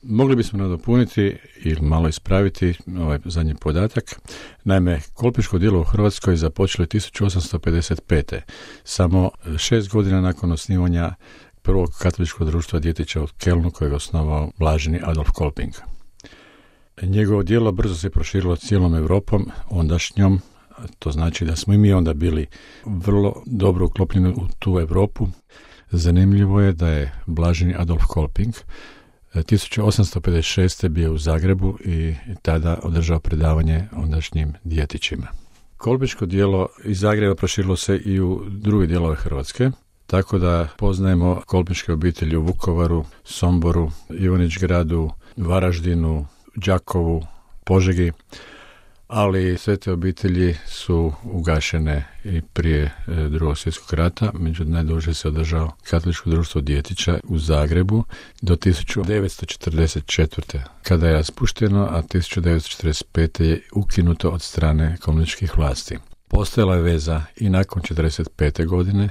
Mogli bismo nadopuniti ili malo ispraviti ovaj zadnji podatak. Naime, kolpiško djelo u Hrvatskoj započelo je 1855. Samo 6 godina nakon osnivanja prvog katoličkog društva djetića u Kelnu kojeg je osnovao blaženi Adolf Kolping. Njegovo djelo brzo se proširilo cijelom Europom, ondašnjom, to znači da smo i mi onda bili vrlo dobro uklopljeni u tu Europu. Zanimljivo je da je blaženi Adolf Kolping 1856. bio u Zagrebu i tada održao predavanje ondašnjim djetićima. Kolpiško djelo iz Zagreba proširilo se i u druge dijelove Hrvatske, tako da poznajemo kolpiške obitelji u Vukovaru, Somboru, Ivanić-Gradu, Varaždinu, Đakovu, Požegi, ali sve te obitelji su ugašene i prije Drugog svjetskog rata. Međutim, najduže se održao katoličko društvo djetića u Zagrebu do 1944. kada je raspušteno, a 1945. je ukinuto od strane komunističkih vlasti. Postojala je veza i nakon 1945. godine,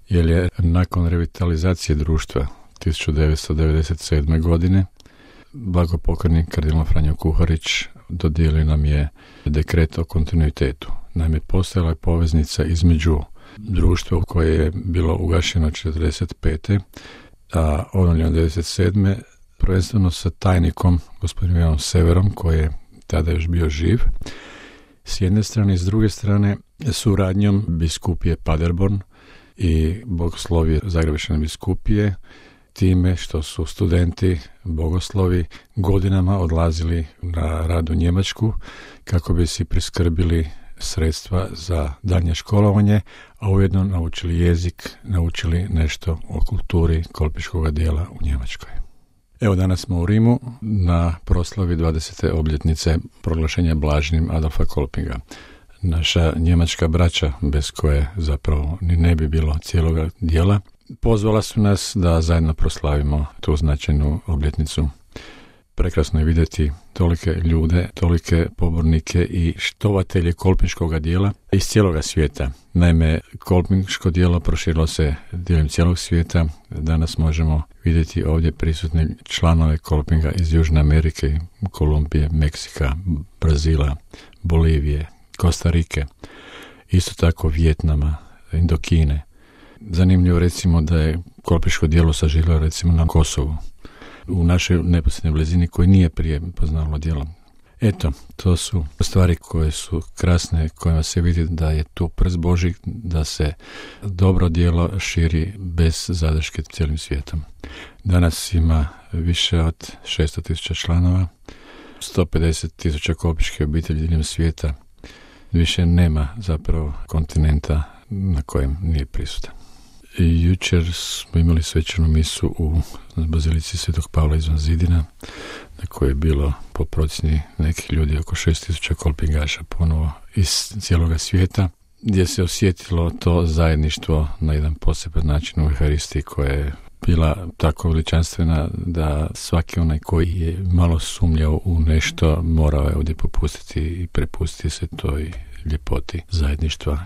jer je nakon revitalizacije društva 1997. godine blagopokojni kardinal Franjo Kuharić dodijelio nam je dekret o kontinuitetu. Naime, postojala je poveznica između društva koje je bilo ugašeno 1945. a obnovljeno 1997. prvenstveno sa tajnikom, gospodinom Ivanom Severom, koji je tada još bio živ, s jedne strane, i s druge strane suradnjom biskupije Paderborn i bogoslovije Zagrebačke biskupije, time što su studenti bogoslovi godinama odlazili na rad u Njemačku kako bi si priskrbili sredstva za daljnje školovanje, a ujedno naučili jezik, naučili nešto o kulturi kolpiškog djela u Njemačkoj. Evo, danas smo u Rimu na proslavi 20. obljetnice proglašenja blaženim Adolfa Kolpinga. Naša njemačka braća, bez koje zapravo ni ne bi bilo cijeloga djela, pozvala su nas da zajedno proslavimo tu značajnu obljetnicu. Prekrasno je vidjeti tolike ljude, tolike pobornike i štovatelje kolpinškog djela iz cijeloga svijeta. Naime, kolpinško djelo proširilo se diljem cijelog svijeta. Danas možemo vidjeti ovdje prisutne članove kolpinga iz Južne Amerike, Kolumbije, Meksika, Brazila, Bolivije, Kostarike, isto tako Vijetnama, Indokine. Zanimljivo recimo da je kolpiško djelo saživjelo recimo na Kosovu, u našoj neposrednoj blizini koji nije prije poznalo djelo. Eto, to su stvari koje su krasne, kojima se vidi da je tu prst Božji, da se dobro djelo širi bez zadrške cijelim svijetom. Danas ima više od 600.000 članova, 150.000 kolpiške obitelji diljem svijeta. Više nema zapravo kontinenta na kojem nije prisutan. I jučer smo imali svečanu misu u bazilici Svetog Pavla izvan zidina, na kojoj je bilo po procjeni nekih ljudi oko 6.000 kolpingaša ponovo iz cijeloga svijeta, gdje se osjetilo to zajedništvo na jedan poseban način u Euharistiji koja je bila tako veličanstvena da svaki onaj koji je malo sumnjao u nešto morao je ovdje popustiti i prepustiti se toj ljepoti zajedništva